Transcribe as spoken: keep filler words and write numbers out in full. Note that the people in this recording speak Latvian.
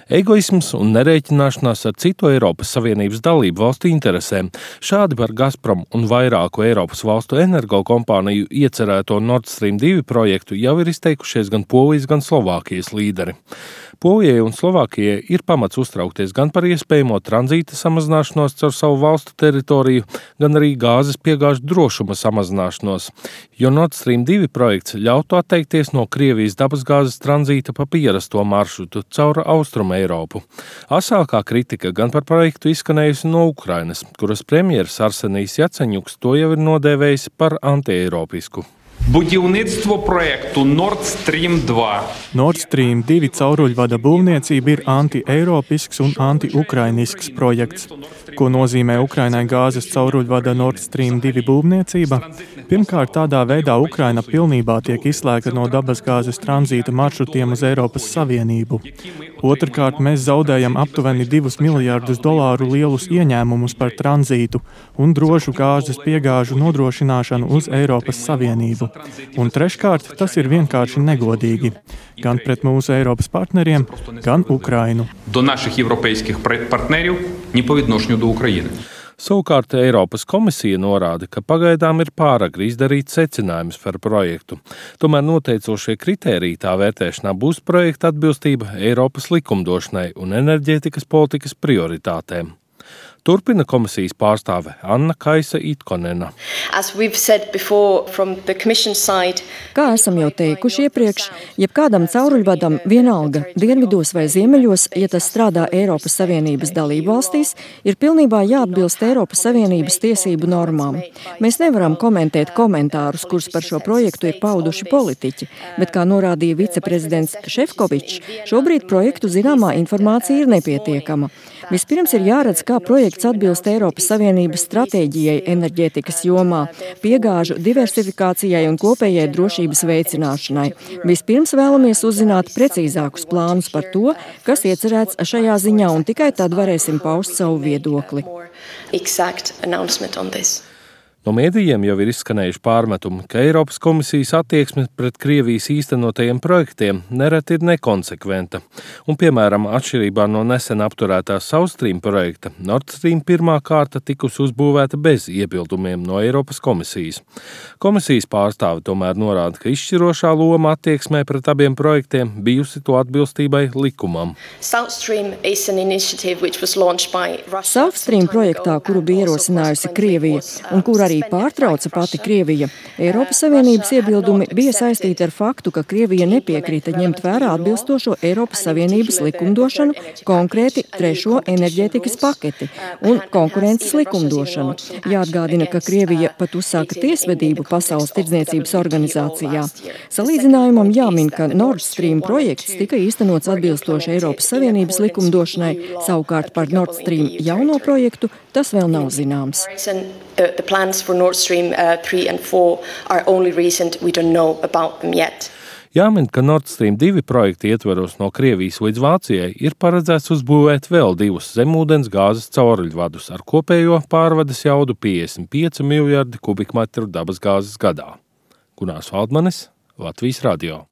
Egoisms un nerēķināšanās ar citu Eiropas Savienības dalību valstu interesēm. Šādi par Gazprom un vairāku Eiropas valstu energokompāniju iecerēto Nord Stream divi projektu jau ir izteikušies gan Polijas, gan Slovākijas līderi. Polijai un Slovākijai ir pamats uztraukties gan par iespējamo tranzīta samazināšanos caur savu valstu teritoriju, gan arī gāzes piegāžu drošuma samazināšanos, jo Nord Stream divi projekts ļautu atteikties no Krievijas dabasgāzes tranzīta pa pierasto maršrutu caur Austrumu Eiropu. Asākā kritika gan par projektu izskanējusi no Ukrainas, kuras premjeras Arsenijs Jaceņuks to jau ir nodēvējis par antieiropisku. Будівництво проекту Nord Stream два. Nord Stream divi cauruļvada būvniecība ir anti-eiropisks un anti-ukrainisks projekts. Ko nozīmē Ukrainai gāzes cauruļvada Nord Stream divi būvniecība? Pirmkārt, tādā veidā Ukraina pilnībā tiek izslēgta no dabasgāzes tranzīta maršrutiem uz Eiropas Savienību. Otrkārt, mēs zaudējam aptuveni divus miljardus dolāru lielus ieņēmumus par tranzītu un drošu gāzes piegāžu nodrošināšanu uz Eiropas Savienību. Un treškārt, tas ir vienkārši negodīgi. Gan pret mūsu Eiropas partneriem, gan Ukrainu. До наших європейських партнерів, ні по відношенню до України. Savukārt Eiropas komisija norāda, ka pagaidām ir pāragri izdarīt secinājumus par projektu. Tomēr noteicošie kritēriji tā vērtēšanā būs projekta atbilstība Eiropas likumdošanai un enerģētikas politikas prioritātēm. Turpina komisijas pārstāve Anna Kaisa Itkonena. Kā esam jau teikuši iepriekš, jebkādam cauruļvadam vienalga dienvidos vai ziemeļos, ja tas strādā Eiropas Savienības dalību valstīs, ir pilnībā jāatbilst Eiropas Savienības tiesību normām. Mēs nevaram komentēt komentārus, kurus par šo projektu ir pauduši politiķi, bet, kā norādīja viceprezidents Šefkovičs, šobrīd projektu zināmā informācija ir nepietiekama. Vispirms ir jāredz, kā projekts atbilst Eiropas Savienības stratēģijai enerģētikas jomā, piegāžu diversifikācijai un kopējai drošības veicināšanai. Vispirms vēlamies uzzināt precīzākus plānus par to, kas iecerēts šajā ziņā, un tikai tad varēsim paust savu viedokli. No mēdījiem jau ir izskanējuši pārmetumi, ka Eiropas komisijas attieksme pret Krievijas īstenotajiem projektiem nereti ir nekonsekventa. Un, piemēram, atšķirībā no nesen apturētā South Stream projekta, Nord Stream pirmā kārta tikusi uzbūvēta bez iebildumiem no Eiropas komisijas. Komisijas pārstāve tomēr norāda, ka izšķirošā loma attieksmē pret abiem projektiem bijusi to atbilstībai likumam. South Stream projektā, kuru bija ierosinājusi Krievija un kur arī pārtrauca pati Krievija, Eiropas Savienības iebildumi bija saistīti ar faktu, ka Krievija nepiekrita ņemt vērā atbilstošo Eiropas Savienības likumdošanu, konkrēti trešo enerģētikas paketi un konkurences likumdošanu. Jāatgādina, ka Krievija pat uzsāka tiesvedību Pasaules tirdzniecības organizācijā. Salīdzinājumam jāmin, ka Nord Stream projekts tika īstenots atbilstoši Eiropas Savienības likumdošanai, savukārt par Nord Stream jauno projektu tas vēl nav zināms. The, the plans for Nord Stream uh, three and four are only recent. We don't know about them yet. Jāmin, ka Nord Stream divi projekta ietveros no Krievijas līdz Vācijai ir paredzēts uzbūvēt vēl divus zemūdens gāzes cauruļvadus ar kopējo pārvades jaudu piecdesmit pieci miljardi kubikmetru dabasgāzes gadā. Gunārs Valdmanis, Latvijas radio.